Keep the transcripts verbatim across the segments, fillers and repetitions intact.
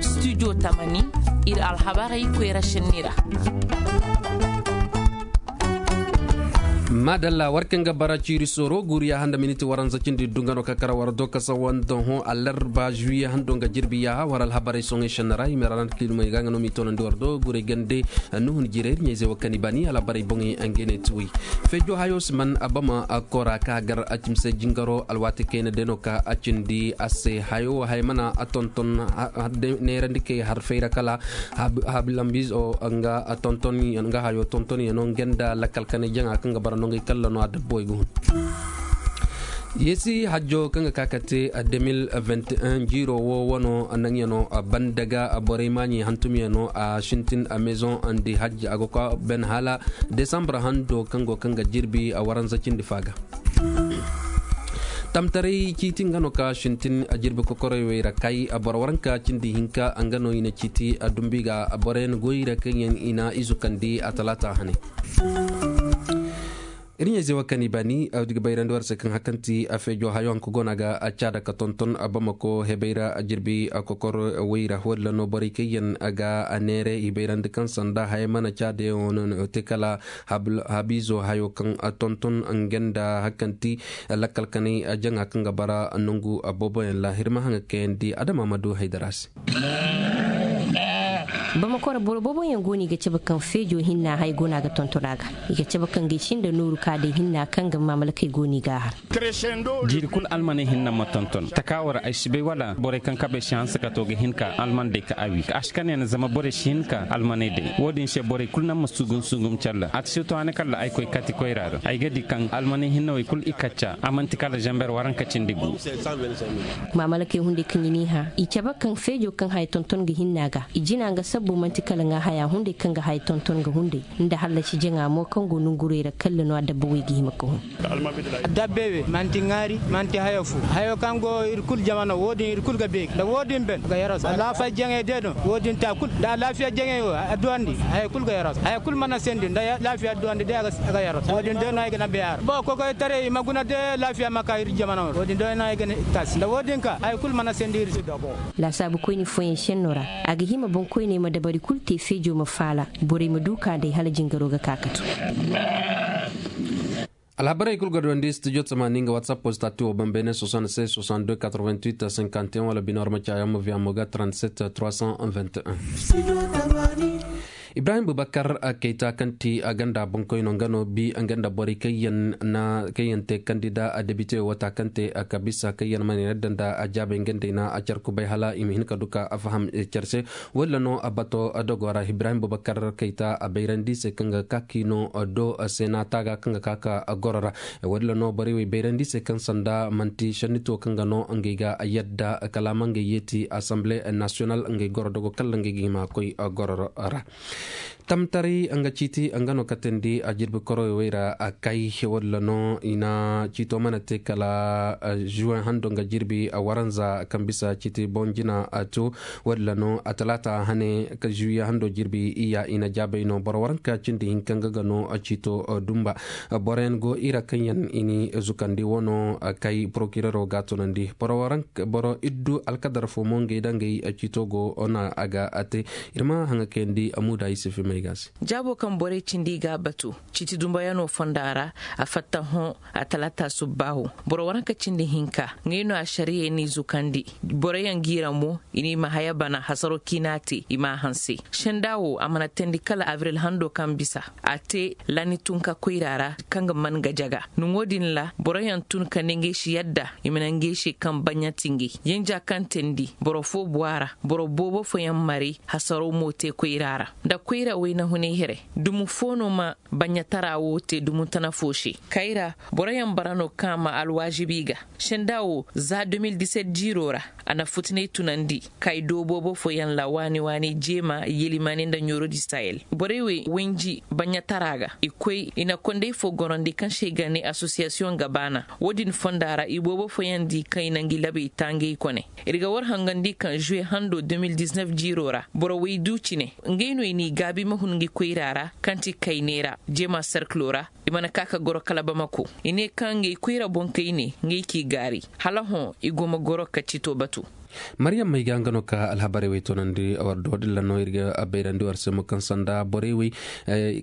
Studio tamani, iri alhabarey koyra senni ra. Madalla, war kaŋ ga bara ciiri sooro guuriya handa miniti waranza cindi dunga no ka kara war do ka sawa nda hõ alarba juye hando nga jirbi yaaha war alhabarey soŋey senni ra i ma ra nda kilmey ga nga no m'i toonandi war do guurey gande. Nuhun jirey iri ɲayze wo kani bani alhabarey boŋey angene tuwey. Feejo hayo si man abama kora ka gar a cimse jingaro alwaati kayna day no ka a cindi a se hayo wo hay mana a tonton neerandi kay har fayra kala habilambizo nga tonton nga hayo tonton yano nga nda lakkal kanay jaŋa kaŋ ga bara no ngey kalla no a dabbo ay ga hun. Yeesi hajjo kaŋ ga ka ka te deux mille vingt et un jiiro wo wano naŋyano banda ga borey maaɲi hantumyano a sintin a maison ndi hajj a ga kwa ben hala desambre hando kaŋ go kaŋ ga jirbi a waranza cindi fa ga. Tamtaray ciiti nga no ka sintin a jirbi kokorey wey ra kay a boro waranka cindi hinka nga no i na ciiti a dumbi ga a boroyaŋ goy ra kaŋ yaŋ i na izu kandi a talaata hane. Iri ɲayze wo kaŋ i baani a ga bayrandi war se kaŋ hakanti a feejo hayo hanka go no a ga a caada ka tonton a bamako hebay ra a jirbi a kokor way ra walla no borey kaŋ yaŋ a ga a neere i bayrandi kaŋ sanda haya mana caada yaŋo no no te kala habiizo hayo kaŋ a tonton nga nda hakanti lakkal kanay a jaŋa kaŋ ga bara nangu a boobo yaŋ laahir ma haŋa kayandi adama ma du haydara se. Bamako ra boro boobo yaŋ go no i ga cabe kaŋ feejo hinna hay go no a ga tonton a ga. I ga cabe kaŋ ga i sinda nooru ka day hinna kaŋ ga mamalakey go no i ga a har. Jiiri kulu almaney hinna ma tonton taka wo ra ay si bay wala borey kaŋ kabey si hanse ka to ga hin ka alman day ka a wi a si kane no zama borey si hin ka almaney day wo- din se borey kulu naŋ ma sugum sugum calla a ti si to hane kala ay koy kati koyra ra ay ga di kaŋ almaney hinna wey kulu i kacca a manti kala zamber waranka cindi gu. Mamalakey hunday kaŋ i n'i hã i cabe kaŋ feejo kaŋ haya tonton ga hinna ga i jina nga sabbo manti kala ŋwa haya hunday kaŋ ga haya tonton ga hunday nda hallasi jaŋa mo kaŋ go nongurey ra kalla no a dabba wey ga hima ka hun. Dabbe we manti ŋaari manti haya fu hayo kaŋ go iri kulu jama no wo- din iri kulu ga beeri nda wo- din ben ga yarasu alaafiya jaŋey day no wo- din ta kulu nda alaafiya jaŋey wo adduwandi haya kulu ga yarasu haya kulu mana sendi nda alaafiya adduwandi day a ga yarasu wo- din day no ay ga na beeri a ra ba kokoytaray i ma guna day alaafiya ma ka iri jama no wo- din day no ay ga na taasi nda wo- din ka haya kulu mana sendi iri se. Laasaabu koyne fooyaŋ senno ra a ga hima boŋ koyney ma dabari kulu te feejo ma faala borey ma du ka day hala jingaro ga ka ka to. Alhabarey kulu ga duwandi studio tamaani nga whatsapp postati wo bambene soixante-seize soixante-deux quatre-vingt-huit cinquante et un wala bino arma caayaŋ ma viya mo ga trente-sept trois cent vingt et un. Ibrahim bubakar kayta kaŋ ti a ganda boŋkoyno nga no bi nga nda borey kaŋ yaŋ te kandida a debite wata kaŋ te a kabisa kaŋ yaŋ mana yadda nda a jaabay nga nd'ey na a care kubay hala i ma hin ka du ka a faham care se. Walla no a bato dogo ra ibrahim bubakar kayta a bayrandi se kaŋ ga ka kiino do se na taaga kaŋ ga ka ka goro ra. Walla no borey wey bayrandi se kaŋ sanda manti sannito kaŋ ga no ngey ga yadda kala ma ngey yeeti assemblée nationale ngey goro dogo kala ngey ga hima koy goro ra. Tamtaray nga ciiti nga no katandi a jirbi koroy way ra a kay walla no i na ciito mana te kala juin hando nga jirbi a waranza kaŋ bisa ciiti boŋ jina a to walla no a talaata hane ka juye hando jirbi iya i na jaabay no boro waranka cindi hinka nga ga no ciito dumba. Boroyaŋ go i ra kaŋ yaŋ i ni zukandi wano kay porokirero ga tunandi boro waranka boro iddu alkadar fo mo ngey da ngey ciito go no a ga a te. Iri ma haŋa kayandi amuda yusufu may ga se. Jaabo kaŋ borey cindi i ga a batu ciiti dumbayano fonda ra a fatta hõ a talaata subbaahu. Boro waranka cindi hinka ngey no a sariyey n'i zukandi. Boroyaŋ g'i ra mo i n'i ma haya bana hasaro kaŋ i n'a te i m'a hanse. Senda wo a mana teendi kala abril hando kaŋ bisa a te lani tunka koyra ra kaŋ ga man ga jaga. Nuŋo din ra boroyaŋ tun ka ne ngey si yadda i ma naŋ ngey se kaŋ baɲa ti ngey. Yanja kaŋ teendi boro fo bu a ra boro boobo fooyaŋ maray hasaro mo te koyra ra. Nda koyra wayna hunay here dumu fo no ma baɲatara wo te dumu tana fo se. Kayra boroyaŋ bara no kaŋ a ma alwaazibi ga. Senda wo za deux mille dix-sept jiiro ra a na futunay tunandi kay do boobo fooyaŋ ra waani waani jeema yelimane nda ɲooro di sahel. Borey wey wanji baɲatara ga i koy i na kondey fo gorandi kaŋ se i ga ne association gabaana. Wo- din fonda ra i boobo fooyaŋ di kaŋ i na ngi labey ta ngey kone. Iri ga war hangandi kaŋ juwe hando deux mille dix-neuf jiiro ra boro waydu cine ngey no i n'i gaabi ma hun ngi koyra ra kaŋ ti kayney ra jeema serkilo ra. I mana ka ka goro kala bamako i ne kaŋ ngey koyra boŋ kayne ngey k'i gaari hala hõ i go ma goro ka ciito batu. Maryam may ga nga no ka alhabarey wey toonandi war do din ra no iri ga bayrandi war se mo kaŋ sanda borey wey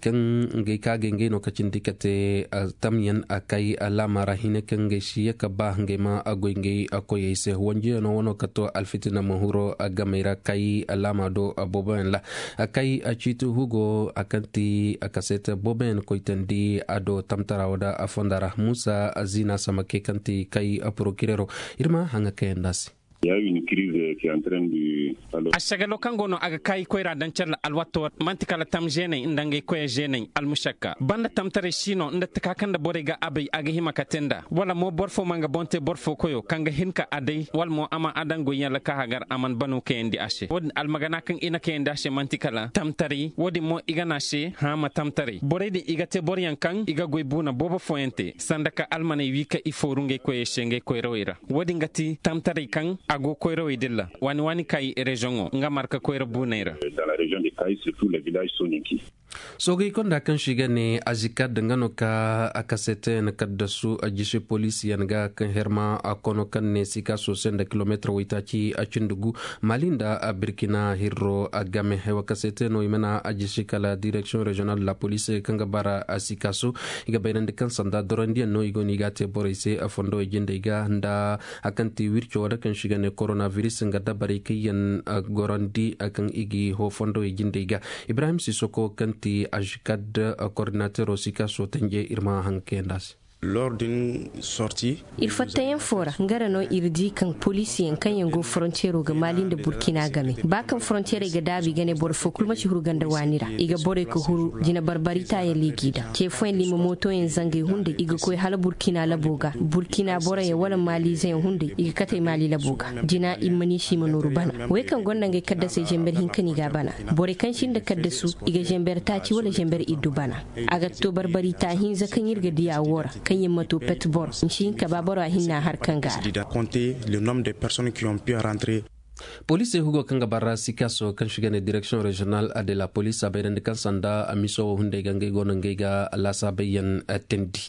kaŋ ngey ka ga ngey no ka cindi ka te tamyaŋ a kay alaama ra hine kaŋ ngey si ye ka ba ngey ma goy ngey koyey se wanjiyano wano ka to alfitina ma huro gamey ra kay alaama do booboyaŋ ra a kay ciiti hugo a kaŋ ti a kaseete booboyaŋ koytandi a do tamtara wo da a fonda ra musa zina samake kaŋ ti kay porokirero iri ma haŋa kayanda se. A sagalo kaŋ go no a ga kaayi koyra daŋ care alwatto manti kala tam zeeney nda ngey koyey zeeney almusakka banda tamtaray si no nda taka kaŋ nda borey ga a bay a ga hima ka te nda wala mo boro fo ma nga boŋ te boro fo koyo kaŋ ga hin ka a day wala mo a ma a daŋ goyyaŋ ra ka hagar a mana bano kayandi a se wo- din almagana kaŋ i na kayandi a se manti kala tamtaray wo- din mo i ga ne a se haama tamtaray borey din i ga te boroyaŋ kaŋ i ga goy buuna boobo fooyaŋ te sanda ka almaney wi ka i fooru ngey koyey se ngey koyrawey ra. Wo- din ga ti tamtaray kaŋ a go koyrawey din ra waani waani kaayi rezoŋo nga marka koyra buuney ra. Soogey konda kaŋ si ga ne azikad nga no ka a kasete na kaddasu a jisi poliisiyaŋ ga kaŋ herma a kono kaŋ ne sika sose nda kilomeetar waytaaci a cindi gu mali nda a birkina hirro a game haywa kasete no i mana a jisi kala direksiyoŋ reziyonal de la police kaŋ ga bara a sika so i ga bayrandi kaŋ sanda dorandiyaŋ no i go no i ga a te borey se a fondo i jindey ga nda a kaŋ ti wirco wala kaŋ si ga ne koronaviris nga dabarey kaŋ yaŋ gorandi kaŋ i ga i ho fondo i jindey ga ibrahim sisoko kaŋ ti azikad koordinatero sika so tanje iri ma haŋ kayanda se. Iri fattayaŋ fo ra nga ra no iri di kaŋ poliisiyaŋ kaŋ yaŋ go forontiyero ga mali nda burkina game ba kaŋ forontiyerey ga daabu i ga ne boro fo kulu ma ci huru ganda waani ra i ga borey ga huru jina barbari taayaŋ liigi daŋ ce fooyaŋ lima mootoyaŋ zangay hunday i ga koy hala burkina labo ga burkina boroyaŋ wala maliizeyaŋ hunday i ga katey mali labo ga jina i ma ni si i ma nooru bana wey kaŋ gonda ngey kaddasey zember hinka no i ga a bana borey kaŋ sinda kaddasu i ga zember taaci wala zember iddu bana. A ga to barbari taahinza kaŋ iri ga diya wo ra kaŋ yaŋ ma to pet boro nsi hinka ba boro a hinna har kaŋ ga a ra. Poliisey hugo kaŋ ga bara sikaso kaŋ si ga ne direksiyoŋ reziyonal de la poliis a bayrandi kaŋ sanda a miso wo hunday ga ngey go no ngey ga laasaabay yaŋ teendi.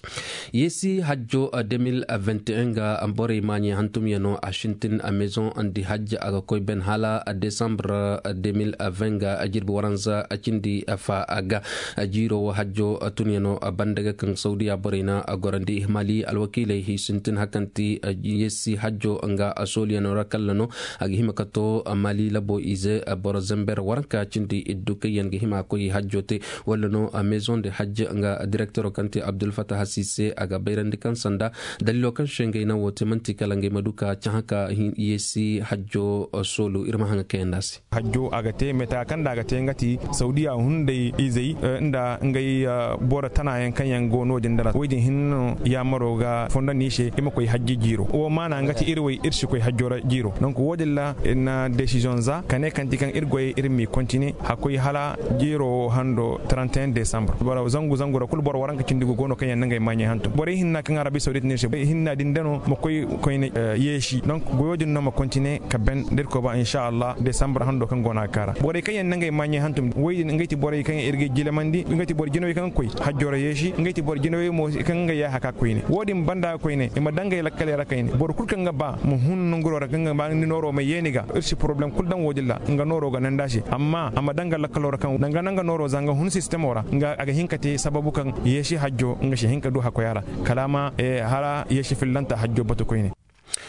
Yeesi hajjo deux mille vingt et un ga borey maaɲey hantumyaŋo a sintin a maison di hajj a ga koy ben hala desambre deux mille vingt ga jirbi waranza cindi fa ga jiiro wo hajjo tunyaŋo banda ga kaŋ saudiya borey na gorandi mali alwakiiley hi sintin hakanti yeesi hajjo nga sooliyaŋo ra kalla no a ga hima ka to mali labo ize boro zember waranka cindi iddu kaŋ yaŋ ga hima koy hajjo te wala no maison de hajj nga direktoro kaŋ te abdulfatah sise a ga bayrandi kaŋ sanda daliilo kaŋ se ngey naŋ wo te manti kala ngey ma du ka cahã ka yeesi hajjo soolu iri ma haŋ ga kayandi a se. Hajjo a ga te meta kaŋ da a ga te nga ti saudiya hunday izey nda ngey boro tanayaŋ kaŋ yaŋ go no- din da ra woy din hinne no yaamaro ga fondandi i se i ma koy hajji jiiro wo maana nga ti iri way iri si koy hajjo ra jiiro donc wo- din ra iri na desiziyoŋ za ka ne kaŋ ti kaŋ iri goyey iri m'i kontine hakkoy hala jiiro hando trente et un desambre boro zangu zangu ra kulu boro waranka cindi gu go no kaŋ yaŋ na ngey maaɲey hantum borey hinna kaŋ arabi sawdit ne se hinna din da no ma koy koyne yeesi donc goyo din no ma kontine ka ben da iri koy ba insa allah desambre hando kaŋ go no a ga kaara borey kaŋ yaŋ na ngey maaɲey hantum woy din ngey ti borey kaŋ iri ga jilamandi ngey ti boro jinawey kaŋ ga koy hajjo ra yeesi ngey ti boro jinawey mo kaŋ ngey yaaha ka koyne wo- din banda ga koyne i ma daŋ ngey lakkaley ra kayne boro kulu kaŋ ga ba ma hun nanguro ra kaŋ ga ba ni nooro ma ye ni ga iri si poroblem kulu daŋ wo- din ra nga nooro ga naŋ da se amma a ma daŋ nga lakkalo ra kaŋ danga naŋ nga nooro za nga hun sistemo ra nga a ga hin ka te sababu kaŋ yeesi hajjo nga si hin ka du hakkoy a ra kala a ma hala yeesi fillanta hajjo batu koyne.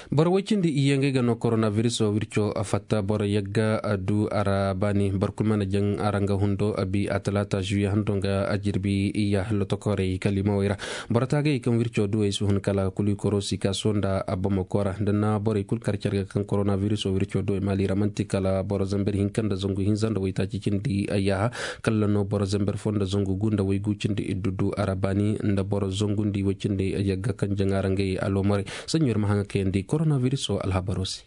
Boro way cindi iyye ngey ga no koronabiriso wirco a fatta boro yagga a du a ra baani boro kulu mana jaŋ a ra nga hundo a bi a talaata zuye hando nga a jirbi iyya lotokorey kalimawey ra. Boro taagayey kaŋ wirco duwey si hun kala kulikoro sikaso nda a bamako ra da na borey kulu kar care ga kaŋ koronabiriso wirco duwey maali ra manti kala boro zamber hinka nda zangu hinza nda waytaaci cindi yaaha. Kala no boro zamber fo nda zangu gu nda waygu cindi iddu du a ra baani nda boro zangu nda iway cindi yagga kaŋ jaŋa ra ngey aloomorey. Saɲɲo iri ma haŋ ga kayandi koronabiriso alhabaro se.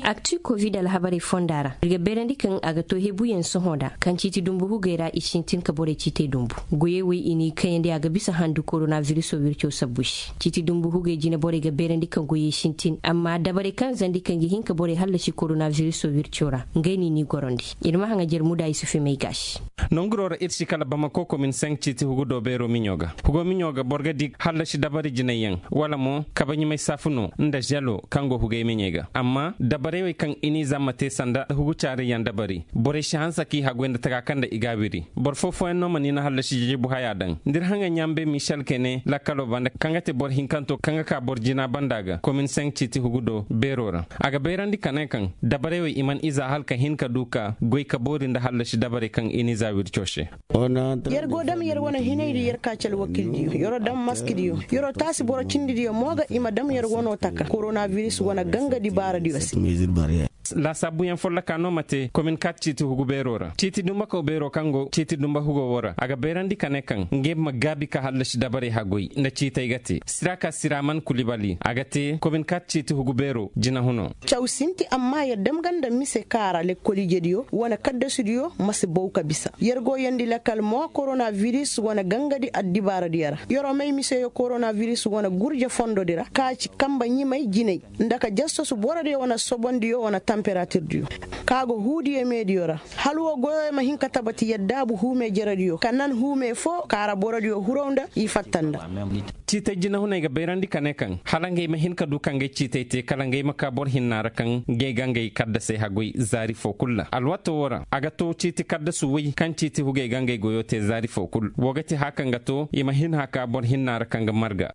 Akti covid alhabarey fonda ra, iri ga beerandi kaŋ a ga to hebuyaŋ sohõ da kaŋ ciiti dumbu hugey ra i sintin ka borey ciitey dumbu. Goyey wo i n'i kayandi a ga bisa handu koronabiriso wirco sabbu se. Ciiti dumbu hugey jine borey ga beerandi kaŋ goyey sintin, amma dabarey kaŋ zandi kaŋ ga hin ka borey hallasi koronabiriso wirco ra, ngey no i n'i gorandi. Iri ma haŋajer muda isufi may gaasi. Nonguro ra iri si kala bamako komin senk ciiti hugu do beero miɲo ga. Hugo miɲo ga boro ga di hallasi dabari jinayyaŋ, wala mo kabaɲimay saafu no nda zelo kaŋ go hugay meɲey ga. Amma dabarey wey kaŋ i n'i zamma te sanda hugu caarayyaŋ dabari, borey si hanse k'i haggoy nda taga kaŋ nda i g'a wiri. Boro fo fooyaŋ no mana i na hallasi jijibu haya daŋ. Nda iri haŋay ɲaambe michel kene lakkalo banda kaŋ ga te boro hinkanto kaŋ ga ka boro jina banda ga komin senk ciiti hugu do beero ra, a ga bayrandi ka ne kaŋ dabarey wey i mana iza hala ka hin ka du ka goy ka boori nda hallasi dabarey kaŋ i n'i za wirco se. Yer go dam yer wane hinay da yer kaaci alwakildiyo, yer wo dam maskidiyo, yer wo taasi boro cindidiyo mo ga i ma dam yer wano taka koronabiris wane ganga dibaaradiyo se. Laasaabuyaŋ folloka no ma te komin kaati ciiti hugu beero ra. Ciiti dumbakaw beero kaŋ go ciiti dumba hugo wo ra, a ga beerandi ka ne kaŋ ngey ma gaabi ka hallasi dabarey haggoy nda ciitey ga te. Siraka siraman kulibali, a ga te komin kaati ciiti hugu beero jinahuno. Caw sinti, amma yer dam ganda mise kaara lekkol ijediyo wane kaddasudiyo ma si bow ka bisa. Yer go yandi lakkal mo koronabiris wane gangadi addibaaradiyo ra. Yer wo may miseyo koronabiris wane gurje fondodi ra kaaci kamba ɲimay jinay nda ka jassasu borodiyo wane sobondiyo wane tamperatirdiyo ka go huudiyo meediyo ra. Hala wo goyo ma hin ka tabati yaddaabu huume jerediyo ka nan huume fo kaara borodiyo huraw nda i fatta nda. Ciitey jinahuney ga bayrandi ka ne kaŋ hala ngey ma hin ka du ka ngey ciitey te kala ngey ma ka boro hinna ra kaŋ ngey ga ngey kaddasey haggoy zaari fo kulu ra. Alwaato wo ra a ga to ciiti kaddasu way kaŋ ciiti hugey ga ngey goyo te zaari fo kulu. Wo ga ti haya kaŋ ga to i ma hin haka boro hinna ra kaŋ ga marga.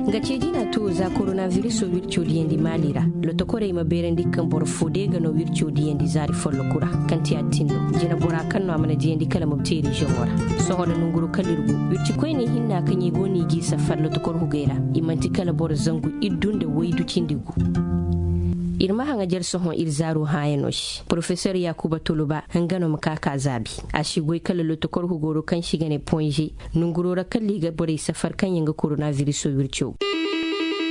Nga ceejina to za koronabiriso wirco diyandi maali ra. Lotokorey ma beerandi kaŋ boro fo de ga no wirco diyandi zaari folloku ra kaŋ ti adtinno jina bora kaŋ no a mana diyandi kala mobteeri zoŋo ra. Sohõ da nonguro kala iri go wirci koyne hinna kaŋ i go no i g'i safar lotokor hugey ra, i manti kala boro zangu iddu nda waydu cindi gu. Iri ma haŋajer sohõ iri zaaro hãayano se porofesor yakuba toloba nga no ma ka ka zaabi. A si goy kala lotokor hugoro kaŋ se i ga ne ponze nonguro ra kala i ga borey safar kaŋ yaŋ ga koronabiriso wirco.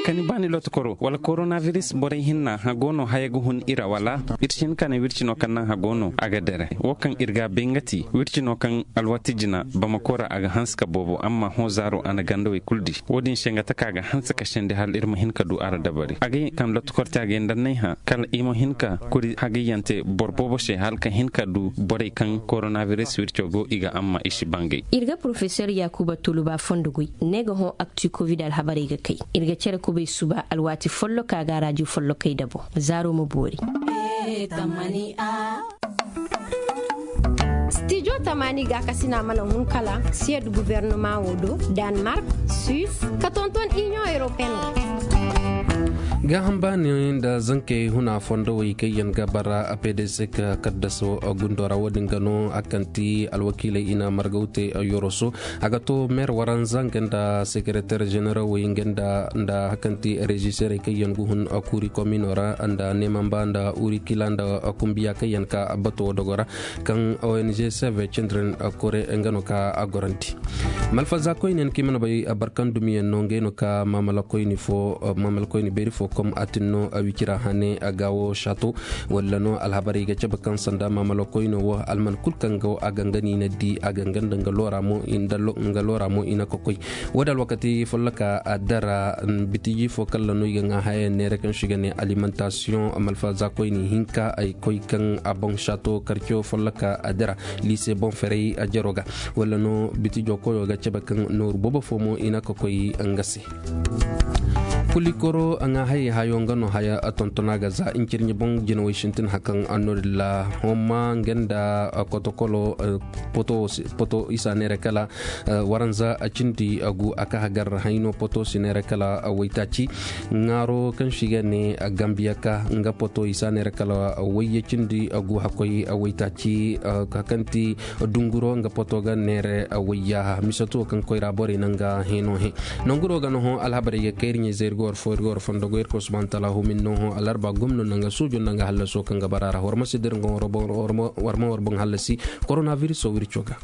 Kani baani lotokoro wala koronabiris borey hinna hago no haya ga hun i ra wala? Iri si hin ka ne wirci no kaŋ naŋ hago no a ga dere wo kaŋ iri ga bay nga ti wirci no kaŋ alwaati jina bamako ra a ga hanse ka boobo amma hõ zaaro a na gandawey kulu di. Wo-din se nga taka ga hanse ka sendi hala iri ma hin ka du a ra dabari a ga ye kaŋ lotokor te a ga ye nda annay hã kala i ma hin ka kuri hagayyante boro boobo se hala ka hin ka du borey kaŋ koronabiris wirco go i ga amma i si bangay. Iri ga porofesor yakuba tuluba fondo goy ne ga hõ akti covid alhabarey ga kay. Iri ga care kubay suba alwaati folloka ga rajo follokey dabo. Zaaro ma boori. Stijo tamaani gaakasina mana hun kala siyad gubernama wo do, danmark, suisse, ka tonton union européenne wo. Gaaham baani nda zankey huna fondowey kaŋ yaŋ ga bara pdc ka kaddaso gundo ra wo-din ga no a kaŋ ti alwakiiley i na margaw te yoroso. A ga to meer waranza nga nda sekereteer ženerawey nga nda nda hakanti reziserey kaŋ yaŋ ga hun kuuri komino ra nda neemamba nda urikila nda kumbiya kaŋ yaŋ ka bato dogo ra kaŋ ong save children kore nga no ka a gorandi. Malfaza koyne yaŋ kaŋ i mana bay barkan dumiyaŋ no ngey no ka mamala koyne fo mamala koyne beeri fo kom atin no wicira hane gaawo shato. Walla no alhabarey ga cabe kaŋ sanda mamala koyne wo alman kulu kaŋ go a ganga no i na di a ganga nda nga loora mo i na kokoy. Wo-din alwakati folloka a dara bitiji fo kala no i ga ŋwa hayaŋ neera kaŋ se i ga ne alimentation malfaza koyne hinka ay koy kaŋ a boŋ shato karco folloka a dara liise boŋ ferey a jaro ga. Wala no bitijo koyo ga cabe kaŋ nooru boobo fo mo i na ka koy nga se. Kulikoro a ŋwa hayey hayo nga no haya a tontona ga za incirɲe boŋ jinawey sintin hakan annodilla homma nga nda kotokolo poto isa neera kala waranza a cindi a gu a ka hagar hayno poto si neera kala waytaaci. Ŋaaro kaŋ si ga ne gambiya ka nga poto isa neera kala wayya cindi a gu hakoy waytaaci. Kakanti dunguro nga poto ga neera wayya misato kaŋ koyra borey nanga heno he. Nanguro ga no hõ alhabarey ga kayri ɲey zay iri ga war fo iri ga war fondo go iri ga war subahana taala humin no hõ alarba gomno nanga suujo nanga hallaso kaŋ ga bara ra war ma si dira nga war ma war boŋ hallasi. Koronaviruso wiri coga.